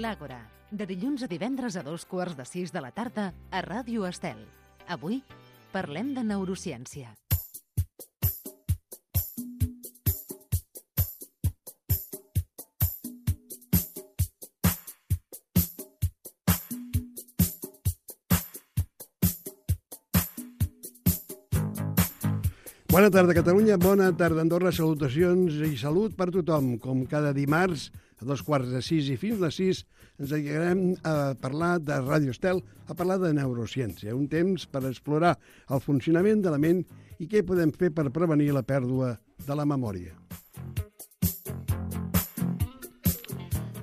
L'Àgora, de dilluns a divendres a 5:15 de la tarda a Ràdio Estel. Avui parlem de neurociència. Bona tarda, Catalunya. Bona tarda, Andorra. Salutacions i salut per tothom. Com cada dimarts, a 5:15 i fins les 6, ens dedicarem a parlar de Ràdio Estel, a parlar de neurociència. Un temps per explorar el funcionament de la ment i què podem fer per prevenir la pèrdua de la memòria.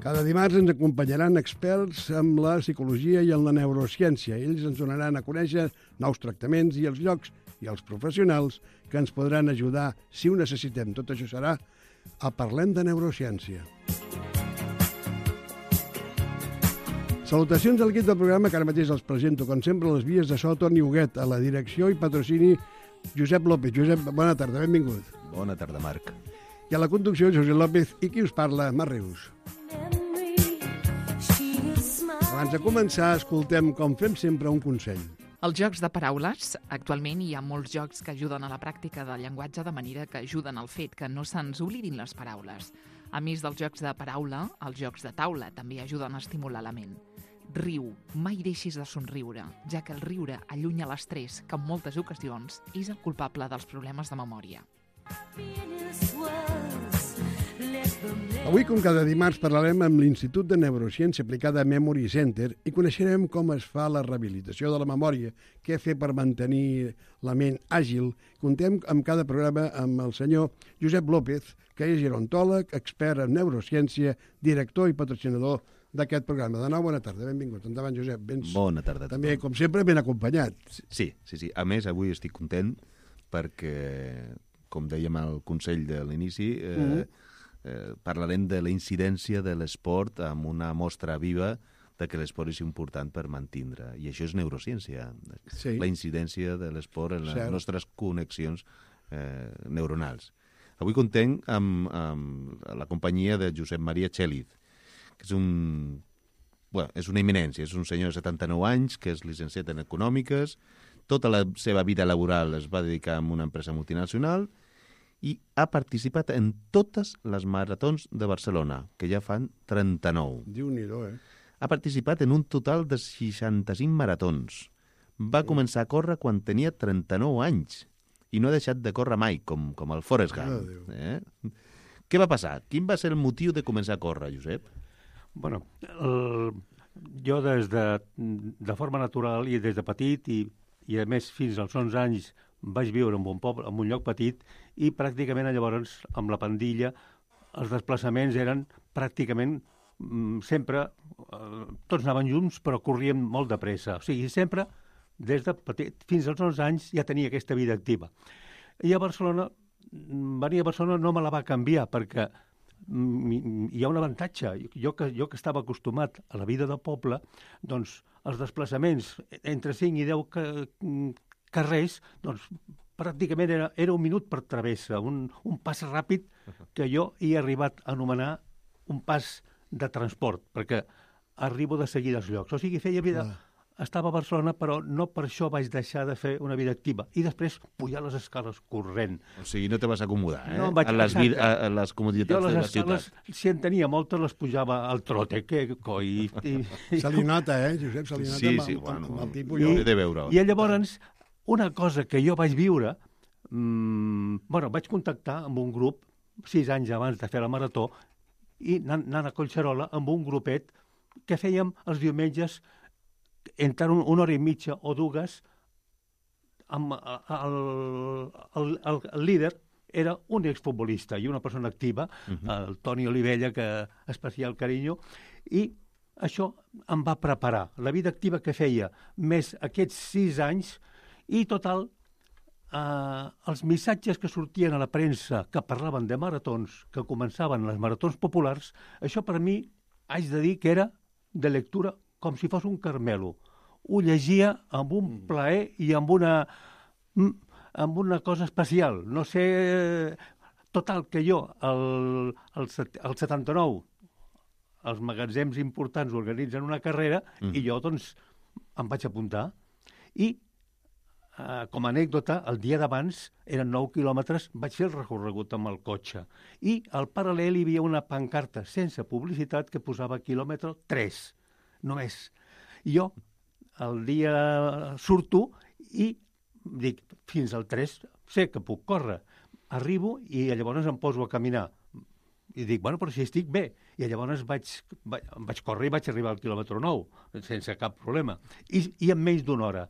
Cada dimarts ens acompanyaran experts en la psicologia i en la neurociència. Ells ens donaran a conèixer nous tractaments i els llocs i els professionals que ens podran ajudar si ho necessitem. Tot això serà a Parlem de Neurociència. Salutacions a l'equip del programa, que ara mateix els presento, com sempre, a les vies de so, Toni Huguet, a la direcció i patrocini Josep López. Josep, bona tarda, benvingut. Bona tarda, Marc. I a la conducció, Josep López, i qui us parla, Mar Rius. Abans de començar, escoltem, com fem sempre, un consell. Els jocs de paraules, actualment hi ha molts jocs que ajuden a la pràctica del llenguatge de manera que ajuden al fet que no se'ns oblidin les paraules. A més dels jocs de paraula, els jocs de taula també ajuden a estimular la ment. Riu, mai deixis de somriure, ja que el riure allunya l'estrès, que en moltes ocasions és el culpable dels problemes de memòria. Avui, com cada dimarts, parlarem amb l'Institut de Neurociència Aplicada Memory Center i coneixerem com es fa la rehabilitació de la memòria, què fer per mantenir la ment àgil. Contem amb cada programa amb el senyor Josep López, que és gerontòleg, expert en neurociència, director i patrocinador d'aquest programa. De nou, bona tarda, benvingut. Endavant, Josep. Bona tarda a tothom. També, com sempre, ben acompanyat. Sí. A més, avui estic content perquè, com dèiem al consell de l'inici, parlarem de la incidència de l'esport amb una mostra viva de que l'esport és important per mantindre. I això és neurociència. Sí. La incidència de l'esport en les nostres connexions neuronals. Avui contem amb la companyia de Josep Maria Txeliz, que és una eminència. És un senyor de 79 anys que és llicenciat en Econòmiques. Tota la seva vida laboral es va dedicar a una empresa multinacional i ha participat en totes les maratons de Barcelona, que ja fan 39. Déu-n'hi-do, Ha participat en un total de 65 maratons. Va començar a córrer quan tenia 39 anys i no ha deixat de córrer mai, com el Forrest Gump. Què va passar? Quin va ser el motiu de començar a córrer, Josep? Bueno, jo de forma natural i des de petit i a més fins als 11 anys vaig viure en un poble, en un lloc petit, i pràcticament llavors amb la pandilla els desplaçaments eren pràcticament sempre, tots anaven junts però corríem molt de pressa. O sigui, sempre des de petit fins als 11 anys ja tenia aquesta vida activa. I a Barcelona, venir a Barcelona no me la va canviar perquè hi ha un avantatge. Jo que estava acostumat a la vida del poble, doncs els desplaçaments entre 5 i 10 carrers, doncs pràcticament era un minut per travessa, un pas ràpid que jo he arribat a anomenar un pas de transport, perquè arribo de seguida als llocs. O sigui, feia vida... Estava a Barcelona, però no per això vaig deixar de fer una vida activa. I després pujar les escales corrent. O sigui, no te vas acomodar, No, a les comoditats de la ciutat. Si en tenia moltes, les pujava al trote. Que coi... Se li nota, Josep? Se li nota amb el tipus. I llavors, una cosa que jo vaig viure, vaig contactar amb un grup 6 anys abans de fer la marató i anant a Collserola amb un grupet que fèiem els diumenges entre una hora i mitja o dues. El líder era un exfutbolista i una persona activa, el Toni Olivella, que especial carinyo, i això em va preparar. La vida activa que feia, més aquests 6 anys, i total, els missatges que sortien a la premsa que parlaven de maratons, que començaven les maratons populars, això per mi haig de dir que era de lectura com si fos un caramelo. Ho llegia amb un plaer i amb una cosa especial. No sé... Total, que jo, el 79, els magatzems importants organitzen una carrera i jo, doncs, em vaig apuntar. I, com a anècdota, el dia d'abans, eren 9 quilòmetres, vaig fer el recorregut amb el cotxe. I al paral·lel hi havia una pancarta sense publicitat que posava quilòmetre 3, només. I jo, el dia surto i dic, fins al 3 sé que puc córrer. Arribo i llavors em poso a caminar. I dic, bueno, però si estic bé. I llavors vaig córrer i vaig arribar al quilòmetre 9, sense cap problema. I en menys d'una hora.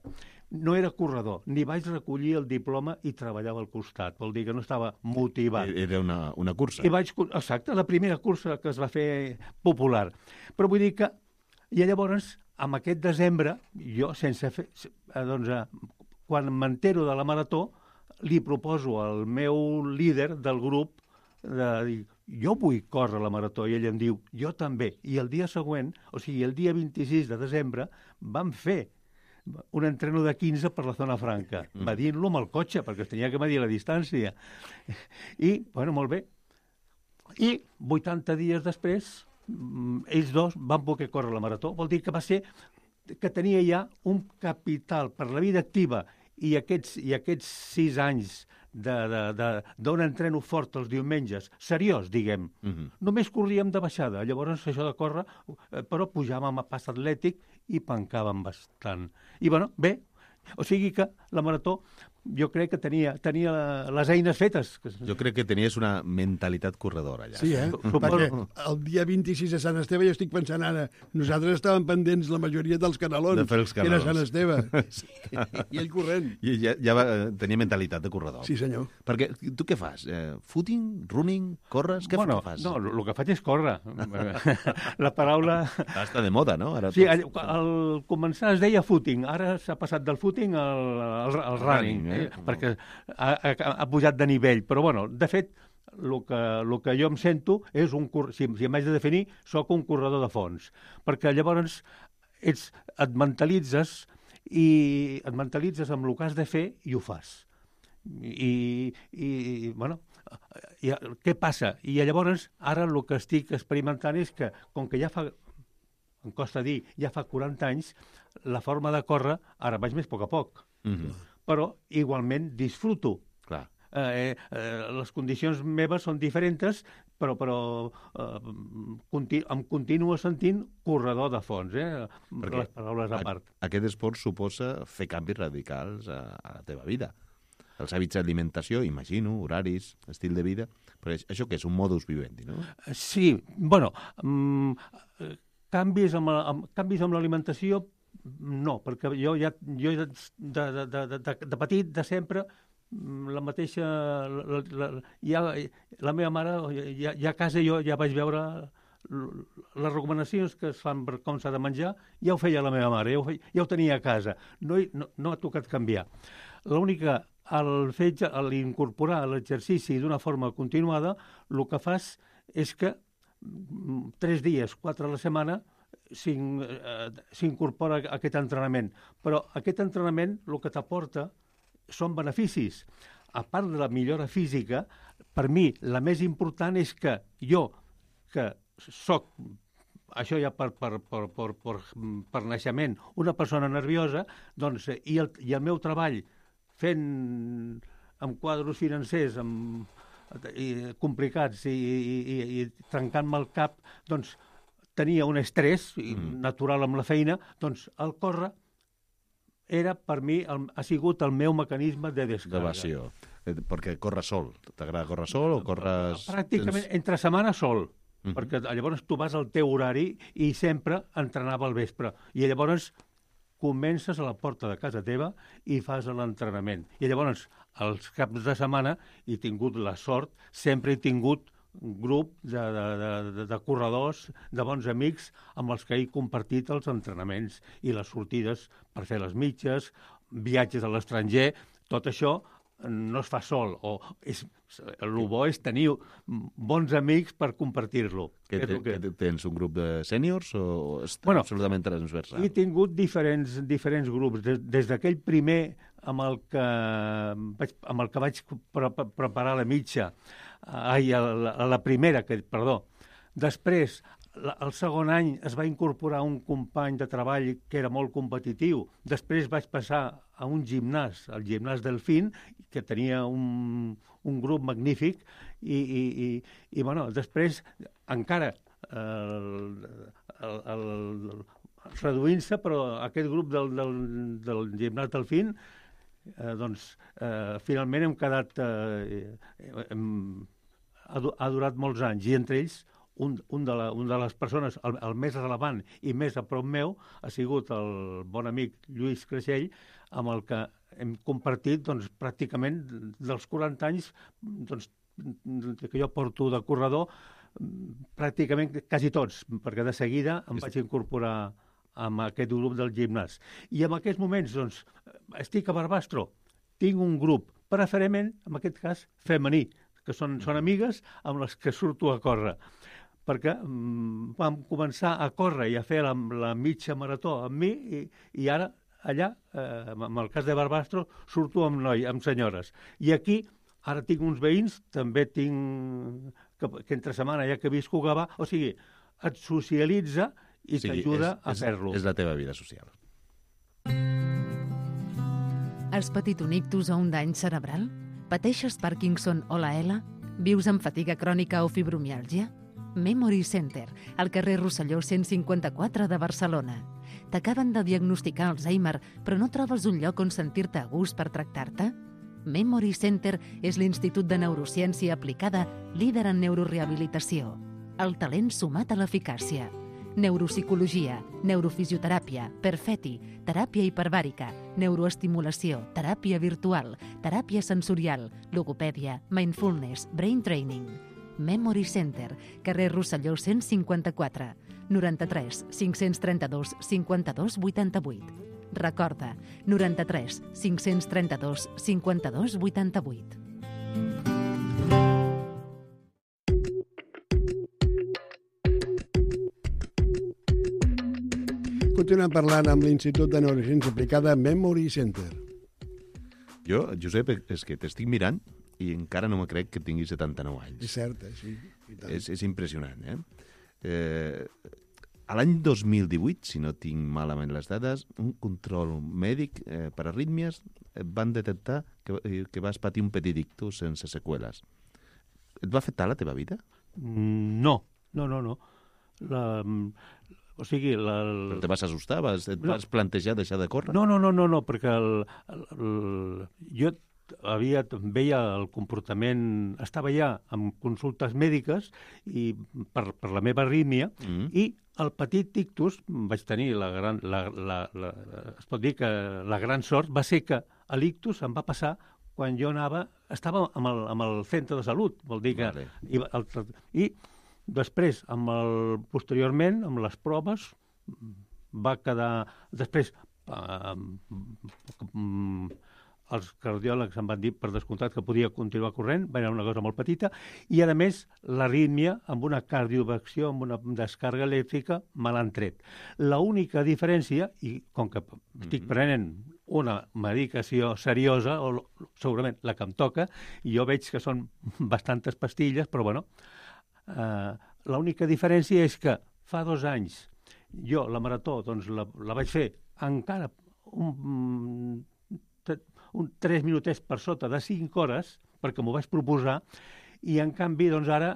No era corredor, ni vaig recollir el diploma i treballava al costat. Vol dir que no estava motivat. Era una cursa. Exacte, la primera cursa que es va fer popular. Però vull dir que... I llavors, amb aquest desembre, jo, sense fer... quan m'entero de la marató, li proposo al meu líder del grup de dir, jo vull córrer la marató, i ell em diu, jo també. I el dia següent, o sigui, el dia 26 de desembre, vam fer un entreno de 15 per la zona franca, medint-lo amb el cotxe, perquè es tenia que medir la distància. I, bueno, molt bé. I 80 dies després, ells dos van poder córrer la marató. Vol dir que va ser que tenia ja un capital per la vida activa i aquests 6 anys d'on entreno fort els diumenges, seriós, diguem. Només corríem de baixada. Llavors, això de córrer, però pujàvem a pas atlètic i pancàvem bastant. I, bueno, bé, o sigui que la marató jo crec que tenia les eines fetes. Jo crec que tenies una mentalitat corredora allà. Sí, perquè el dia 26 de Sant Esteve, jo estic pensant ara, nosaltres estàvem pendents la majoria dels canelons, que era Sant Esteve, i ell corrent. I ja tenia mentalitat de corredor. Sí, senyor. Perquè tu què fas? Footing? Running? Corres? Què fas? No, el que faig és córrer. La paraula... Està de moda, no? Ara sí, al començar es deia footing, ara s'ha passat del footing al running. Perquè ha pujat de nivell. Però, bueno, de fet, el que jo em sento és si em haig de definir, sóc un corredor de fons. Perquè llavors et mentalitzes amb el que has de fer i ho fas. I bueno, què passa? I llavors, ara el que estic experimentant és que, com que ja fa, em costa dir, ja fa 40 anys, la forma de córrer, ara vaig més a poc a poc. Però igualment disfruto. Clar. Les condicions meves són diferents, però em continuo sentint corredor de fons, les paraules a part. Aquest esport suposa fer canvis radicals a la teva vida. Els hàbits d'alimentació, imagino, horaris, estil de vida, però això què és? Un modus vivendi, no? Sí, bueno, canvis amb l'alimentació, no, perquè jo de petit, de sempre, la mateixa... La meva mare, ja a casa jo ja vaig veure les recomanacions que es fan per com s'ha de menjar, ja ho feia la meva mare, ja ho tenia a casa. No ha tocat canviar. L'única, al incorporar l'exercici d'una forma continuada, el que fas és que 3 dies, 4 a la setmana, s'incorpora aquest entrenament. Però aquest entrenament el que t'aporta són beneficis. A part de la millora física, per mi la més important és que jo, que soc, això ja per naixement, una persona nerviosa, doncs, i el meu treball fent amb quadros financers complicats i trencant-me el cap, doncs tenia un estrès natural amb la feina, doncs el córrer per mi ha sigut el meu mecanisme de descàrrega. D'evasió. Perquè corres sol. T'agrada córrer sol o corres... Pràcticament entre setmana sol, perquè llavors tu vas al teu horari i sempre entrenava al vespre. I llavors comences a la porta de casa teva i fas l'entrenament. I llavors, els caps de setmana, he tingut la sort, sempre he tingut un grup de corredors, de bons amics, amb els que he compartit els entrenaments i les sortides per fer les mitges, viatges a l'estranger. Tot això no es fa sol. El bo és tenir bons amics per compartir-lo. Tens un grup de sèniors o absolutament transversal? He tingut diferents grups. Des d'aquell primer amb el que vaig preparar la mitja, la primera, perdó. Després, el segon any es va incorporar un company de treball que era molt competitiu. Després vaig passar a un gimnàs, el gimnàs Delfín, que tenia un grup magnífic, i després encara reduint-se, però aquest grup del gimnàs Delfín, finalment hem quedat... ha durat molts anys, i entre ells un de les persones, el més relevant i més a prop meu, ha sigut el bon amic Lluís Creixell, amb el que hem compartit pràcticament dels 40 anys que jo porto de corredor, pràcticament quasi tots, perquè de seguida em vaig incorporar amb aquest grup del gimnàs. I en aquests moments, estic a Barbastro, tinc un grup, preferentment, en aquest cas, femení, que són amigues amb les que surto a córrer, perquè vam començar a córrer i a fer la mitja marató amb mi, i ara, allà, en el cas de Barbastro, surto amb senyores. I aquí, ara tinc uns veïns, també tinc, que entre setmana, ja que visco a Gavà, o sigui, et socialitza i t'ajuda a fer-lo. És la teva vida social. Has patit un ictus o un dany cerebral? Pateixes Parkinson o la ELA? Vius amb fatiga crònica o fibromiàlgia? Memory Center, al carrer Rosselló 154 de Barcelona. T'acaben de diagnosticar Alzheimer, però no trobes un lloc on sentir-te a gust per tractar-te? Memory Center és l'Institut de Neurociència Aplicada líder en neurorehabilitació. El talent sumat a l'eficàcia. Neuropsicologia, neurofisioteràpia, perfeti, teràpia hiperbàrica, neuroestimulació, teràpia virtual, teràpia sensorial, logopèdia, mindfulness, brain training. Memory Center, carrer Rosselló 154, 93 532 52 88. Recorda, 93 532 52 88. Continuem parlant amb l'Institut de Neurociència Aplicada Memory Center. Jo, Josep, és que t'estic mirant i encara no me crec que tinguis 79 anys. És cert, sí. És impressionant, A l'any 2018, si no tinc malament les dades, un control mèdic per arrítmies van detectar que vas patir un petit ictus sense seqüeles. Et va afectar la teva vida? No. O sigui... Però te vas assustar? Et vas plantejar deixar de córrer? No, perquè jo veia el comportament... Estava ja amb consultes mèdiques i per la meva arrítmia, i el petit ictus vaig tenir es pot dir que la gran sort va ser que l'ictus em va passar quan jo estava amb el centre de salut, vol dir que... Vale. I després, posteriorment, amb les proves, va quedar... Després, els cardiòlegs em van dir, per descomptat, que podia continuar corrent, va ser una cosa molt petita, i, a més, l'arrítmia, amb una cardioversió, amb una descàrrega elèctrica, me l'han tret. L'única diferència, i com que estic prenent una medicació seriosa, o segurament la que em toca, i jo veig que són bastantes pastilles, però, bueno, l'única diferència és que fa 2 anys jo la marató la vaig fer encara un 3 minutets per sota de 5 hores, perquè m'ho vaig proposar, i en canvi ara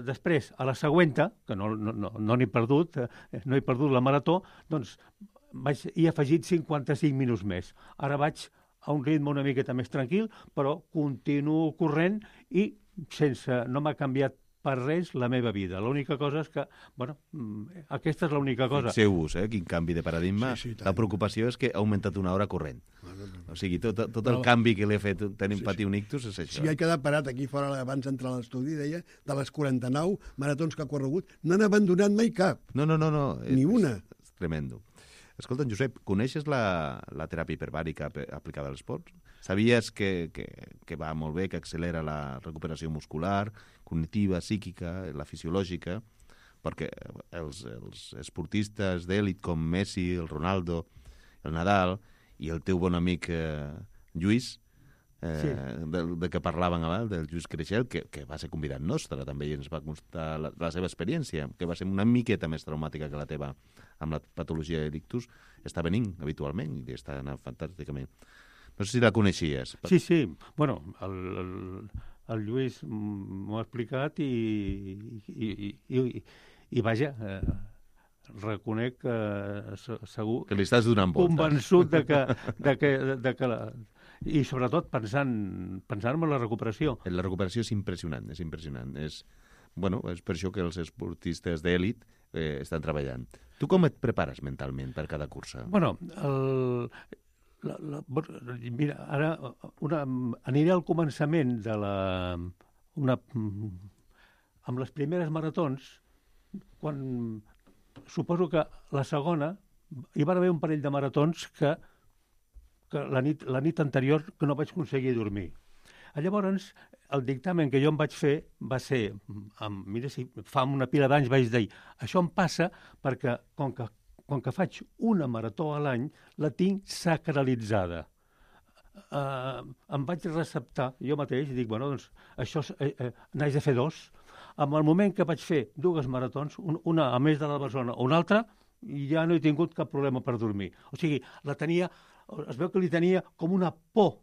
després, a la següenta, que no n'he perdut, no he perdut la marató, doncs he afegit 55 minuts més. Ara vaig a un ritme una miqueta més tranquil, però continuo corrent i no m'ha canviat per res la meva vida. L'única cosa és que, bueno, aquesta és l'única cosa. Fixeu-vos, quin canvi de paradigma. Sí, la preocupació és que ha augmentat una hora corrent. O sigui, tot el canvi que li ha fet patir un ictus és això. Sí, he quedat parat aquí fora abans d'entrar a l'estudi, deia, de les 49 maratons que ha corregut, no han abandonat mai cap. No. Ni una. És tremendo. Escolta, Josep, coneixes la teràpia hiperbàrica aplicada a l'esport? Sabies que va molt bé, que accelera la recuperació muscular, cognitiva, psíquica, la fisiològica, perquè els esportistes d'èlit com Messi, el Ronaldo, el Nadal i el teu bon amic Lluís de què parlàvem abans, del Lluís Creixell, que va ser convidat nostre, també, i ens va constar la seva experiència, que va ser una miqueta més traumàtica que la teva amb la patologia de l'ictus, està venint habitualment i està anant fantàsticament. No sé si la coneixies. Sí. Bueno, el Lluís m'ho ha explicat i vaja, reconec que segur... Que li estàs donant voltes. Convençut de que i sobretot pensant en la recuperació. La recuperació és impressionant, és impressionant. És per això que els esportistes d'èlit estan treballant. Tu com et prepares mentalment per cada cursa? Bueno, mira, ara aniré al començament de amb les primeres maratons, quan suposo que la segona hi va haver un parell de maratons que la nit anterior que no vaig aconseguir dormir. Llavors, el dictamen que jo em vaig fer va ser, mira, si fa una pila d'anys vaig dir, això em passa perquè com que faig una marató a l'any, la tinc sacralitzada. Em vaig receptar jo mateix i dic, bueno, doncs això n'haig de fer 2. En el moment que vaig fer 2 maratons, una a més de la Barcelona o una altra, ja no he tingut cap problema per dormir. O sigui, es veu que li tenia com una por.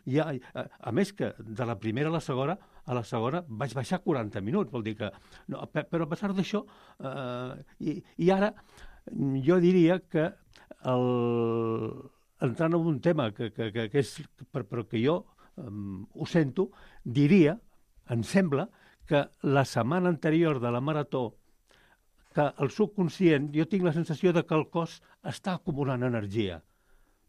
A més que de la primera a la segona vaig baixar 40 minuts, vol dir que... No, però a pesar d'això, i ara jo diria que entrant en un tema que és... però que jo ho sento, diria, em sembla, que la setmana anterior de la marató, que el subconscient, jo tinc la sensació de que el cos està acumulant energia.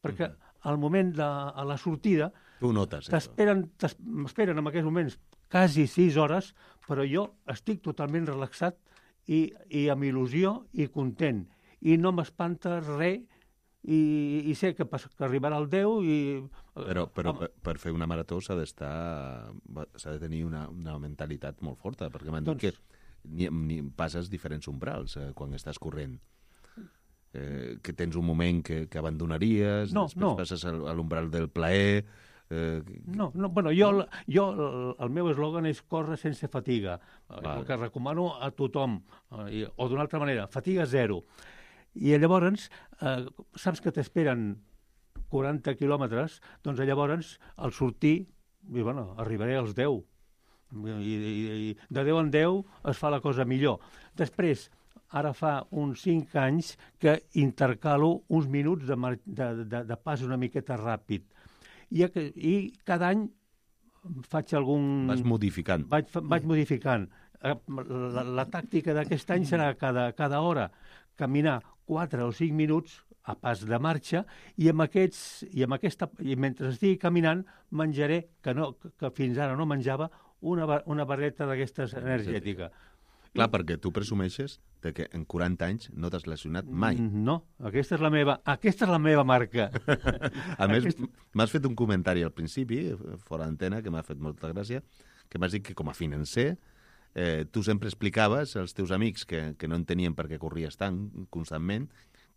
Perquè al moment de la sortida tu notes m'esperen en aquests moments quasi 6 hores, però jo estic totalment relaxat i amb il·lusió i content. I no m'espanta res i sé que arribarà el 10 i... Però per fer una marató s'ha de tenir una mentalitat molt forta, perquè m'han dit que ni passes diferents umbrals quan estàs corrent. Que tens un moment que abandonaries, després passes a l'umbral del plaer... Bueno, jo el meu eslògan és córrer sense fatiga, el que recomano a tothom, o d'una altra manera, fatiga 0. I llavors, saps que t'esperen 40 quilòmetres, doncs llavors, al sortir, arribaré als 10. I de 10 en 10 es fa la cosa millor. Després, ara fa uns 5 anys que intercalo uns minuts de pas una miqueta ràpid. I cada any faig algun... Vas modificant. Vaig modificant. La tàctica d'aquest any serà cada hora caminar 4 o 5 minuts a pas de marxa i mentre estigui caminant menjaré, que fins ara no menjava, una barreta d'aquestes energètica. Clar, perquè tu presumeixes que en 40 anys no t'has lesionat mai. No, aquesta és la meva marca. A més, m'has fet un comentari al principi, fora d'antena, que m'ha fet molta gràcia, que m'has dit que com a financer tu sempre explicaves als teus amics que no entenien per què corries tant constantment,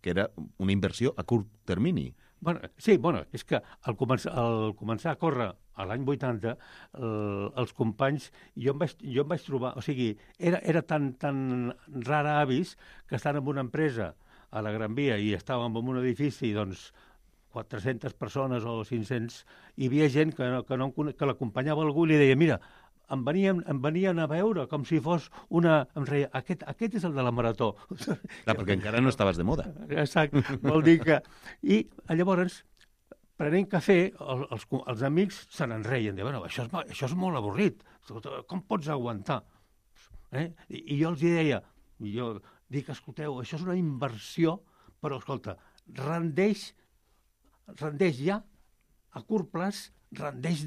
que era una inversió a curt termini. Sí, és que al començar a córrer a l'any 80, els companys, jo em vaig trobar, o sigui, era tan rara avis que estan en una empresa a la Gran Via i estàvem en un edifici, doncs, 400 persones o 500, i hi havia gent que l'acompanyava algú i li deia, mira, em venien a veure com si fos una... Em reia, aquest és el de la marató. Clar, perquè encara no estaves de moda. Exacte, vol dir que... I llavors, prenent cafè, els amics se n'enreien. Diuen, això és molt avorrit. Com pots aguantar? I jo els deia, escolteu, això és una inversió, però, escolta, rendeix ja a curt plaç, rendeix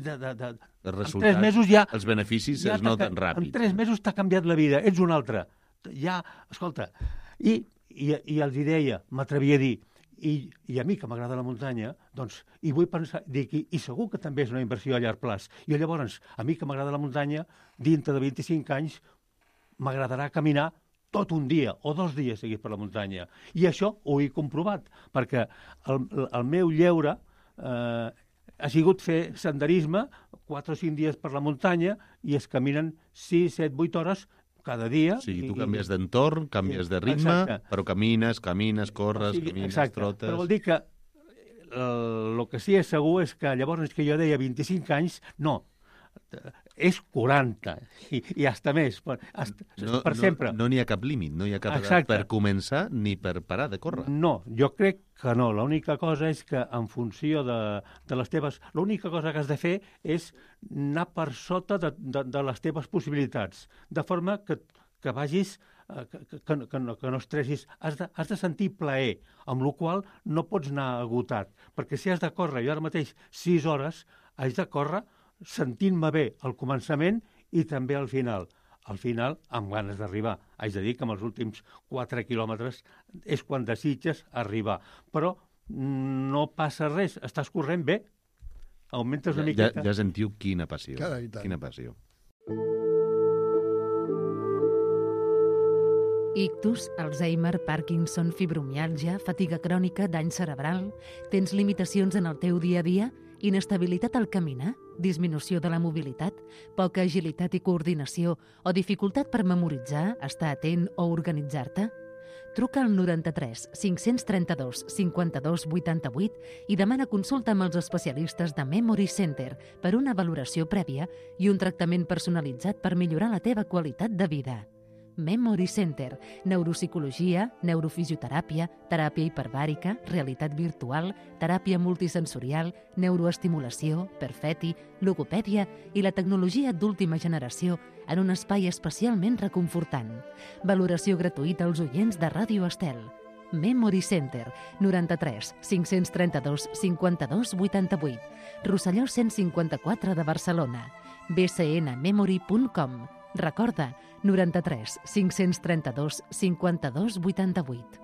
els en 3 mesos ja... Els beneficis es noten ràpid. En 3 mesos t'ha canviat la vida, ets un altre. Ja, escolta, i els deia, m'atrevia a dir, i a mi que m'agrada la muntanya, doncs, i vull pensar, dic, i segur que també és una inversió a llarg plaç. I llavors, a mi que m'agrada la muntanya, dintre de 25 anys, m'agradarà caminar tot un dia o 2 dies seguits per la muntanya. I això ho he comprovat, perquè el meu lleure ha sigut fer senderisme 4 o 5 dies per la muntanya i es caminen 6, 7, 8 hores cada dia. O sigui, tu canvies d'entorn, canvies de ritme, però camines, corres, trotes... Però vol dir que el que sí és segur és que llavors que jo deia 25 anys, no, és 40 i hasta més, per sempre. No n'hi ha cap límit, no hi ha cap edat per començar ni per parar de córrer. No, jo crec que no. L'única cosa és que en funció de les teves... L'única cosa que has de fer és anar per sota de les teves possibilitats, de forma que vagis... Que no estressis, has de sentir plaer, amb la qual no pots anar agotat. Perquè si has de córrer, jo ara mateix 6 hores, haig de córrer sentint-me bé al començament i també al final. Al final, amb ganes d'arribar. Haig de dir que amb els últims 4 quilòmetres és quan desitges arribar. Però no passa res, estàs corrent bé, augmentes una miqueta. Ja sentiu quina passió. Carai, quina passió. Ictus, Alzheimer, Parkinson, fibromiàlgia, fatiga crònica, dany cerebral... Tens limitacions en el teu dia a dia? Inestabilitat al caminar? Disminució de la mobilitat? Poca agilitat i coordinació? O dificultat per memoritzar, estar atent o organitzar-te? Truca al 93 532 52 88 i demana consulta amb els especialistes de Memory Center per una valoració prèvia i un tractament personalitzat per millorar la teva qualitat de vida. Memory Center, neuropsicologia, neurofisioteràpia, teràpia hiperbàrica, realitat virtual, teràpia multisensorial, neuroestimulació, perfeti, logopèdia i la tecnologia d'última generació en un espai especialment reconfortant. Valoració gratuïta als oients de Ràdio Estel. Memory Center, 93 532 52 88, Rosselló 154 de Barcelona, bcnmemory.com. Recorda, 93 532 52 88.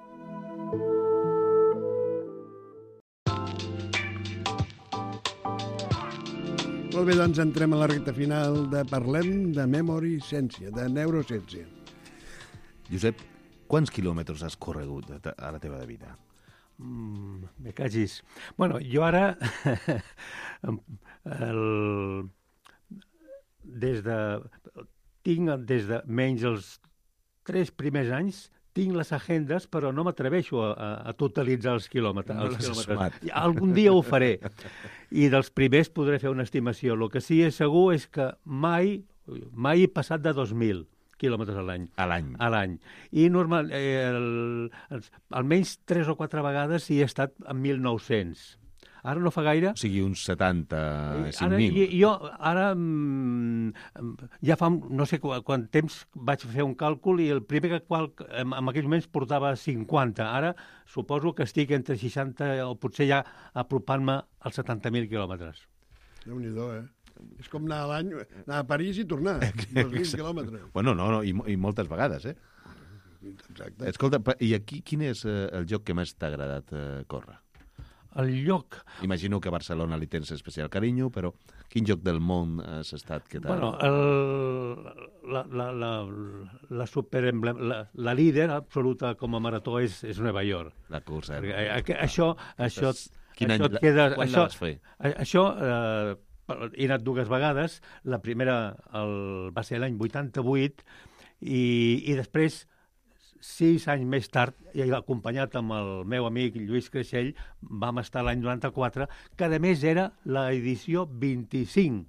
Molt bé, doncs entrem a la recta final de Parlem de Memory Ciència, de Neurociència. Josep, quants quilòmetres has corregut a la teva vida? Me cagis. Bueno, jo ara... Tinc des de menys els 3 primers anys, tinc les agendes, però no m'atreveixo a totalitzar els quilòmetres. Algun dia ho faré. I dels primers podré fer una estimació. El que sí és segur és que mai he passat de 2.000 quilòmetres a l'any. A l'any. I normal, almenys 3 o 4 vegades hi he estat en 1.900. Ara no fa gaire... O sigui, uns 75.000. Jo ara ja fa no sé quant temps vaig fer un càlcul i el primer en aquells moments portava 50. Ara suposo que estic entre 60 o potser ja apropant-me als 70.000 quilòmetres. Déu-n'hi-do, És com anar a l'any, anar a París i tornar. 2.000 quilòmetres. Bueno, no, i moltes vegades, Exacte. Escolta, i aquí quin és el lloc que més t'ha agradat córrer? El lloc... Imagino que a Barcelona li tens especial carinyo, però quin lloc del món has estat que t'ha... Bueno, la líder absoluta com a marató és Nova York. La cursa. Això et queda... Quan la vas fer? Això he anat 2 vegades. La primera va ser l'any 88 i després 6 anys més tard, i acompanyat amb el meu amic Lluís Creixell, vam estar l'any 94, que a més era l'edició 25.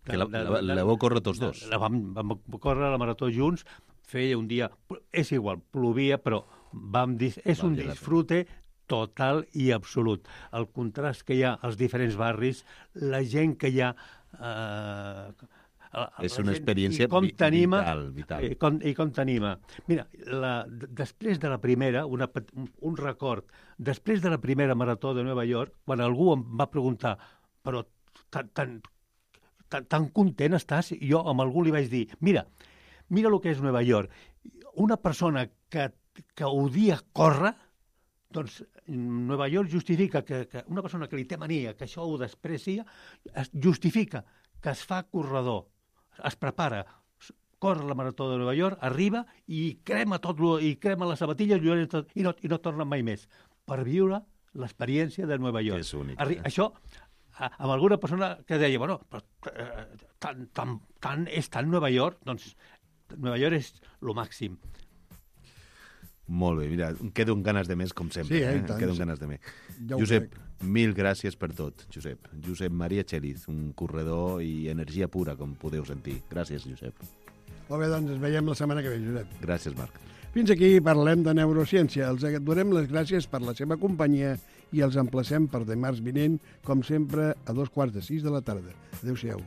Que la vau córrer tots dos? Vam córrer la marató junts, feia un dia... És igual, plovia, però vam dir... És un disfrute total i absolut. El contrast que hi ha als diferents barris, la gent que hi ha... és una experiència vital. I com t'anima. Mira, després de la primera, un record, després de la primera marató de Nova York, quan algú em va preguntar, però tan content estàs? Jo amb algú li vaig dir, mira el que és Nova York. Una persona que odia córrer, doncs Nova York justifica que una persona que li té mania, que això ho desprecia, justifica que es fa corredor, es prepara, corre la marató de Nova York, arriba i crema les sabatilles i no torna mai més, per viure l'experiència de Nova York. És únic. Això amb alguna persona que deia, bueno, però, és tan Nova York, doncs Nova York és lo màxim. Molt bé, mira, em quedo amb ganes de més, com sempre. Sí, Em tant, quedo amb sí. ganes de més. Ja ho Josep, crec. mil gràcies per tot, Josep. Josep Maria Txeliz, un corredor i energia pura, com podeu sentir. Gràcies, Josep. Molt bé, doncs ens veiem la setmana que ve, Josep. Gràcies, Marc. Fins aquí parlem de neurociència. Els donem les gràcies per la seva companyia i els emplacem per dimarts vinent, com sempre, a 5:15 de la tarda. Adéu-siau.